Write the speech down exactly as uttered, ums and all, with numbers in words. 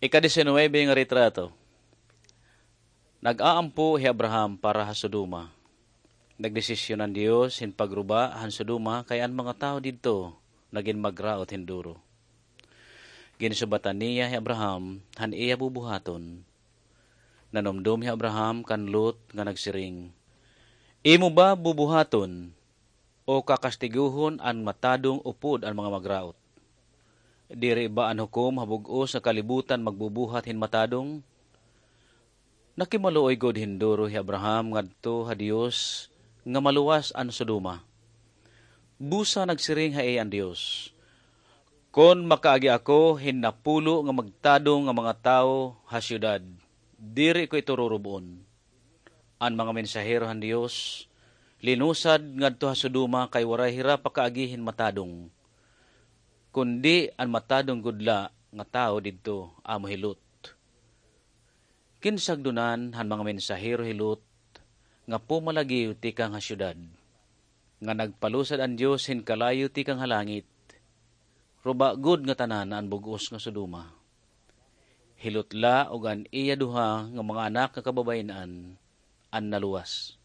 Ika-diecinuebe nga retrato. Nag-aampo hi Abraham para ha Sodoma. Nagdesisyon an Dios hin pagruba han Sodoma kay an mga tawo didto nagin magraot hin duro. Ginsubatan niya hi Abraham han iya bubuhaton. Nanumdom hi Abraham kan Lot nga nagsiring, "Imo ba bubuhaton o kakastigohon an matadong upod an mga magraot? Diri ba an hukom ha bug-os nga kalibutan magbubuhat hin matadong?" Nakimaluoy gud hin duro hi Abraham ngadto ha Dios nga maluwas an Sodoma. Busa nagsiring ha iya an Dios, "Kon makaagi ako hin napulo nga magtadong nga mga tawo ha syudad, diri ko ito rurub-on." An mga mensahero han Dios linusad ngadto ha Sodoma kay waray hira pakaagi hin matadong, kundi an matadong gud la nga tawo didto amo hi Lot. Kinsagdonan han mga mensahero hi Lot nga pumalagiw tikang ha syudad, nga nagpalusad an Dios hin kalayo tikang ha langit. Ruba gud ngatanan an bug-os nga Sodoma. Hi Lot la ug an iya duha nga mga anak nga kababayen-an an naluwas.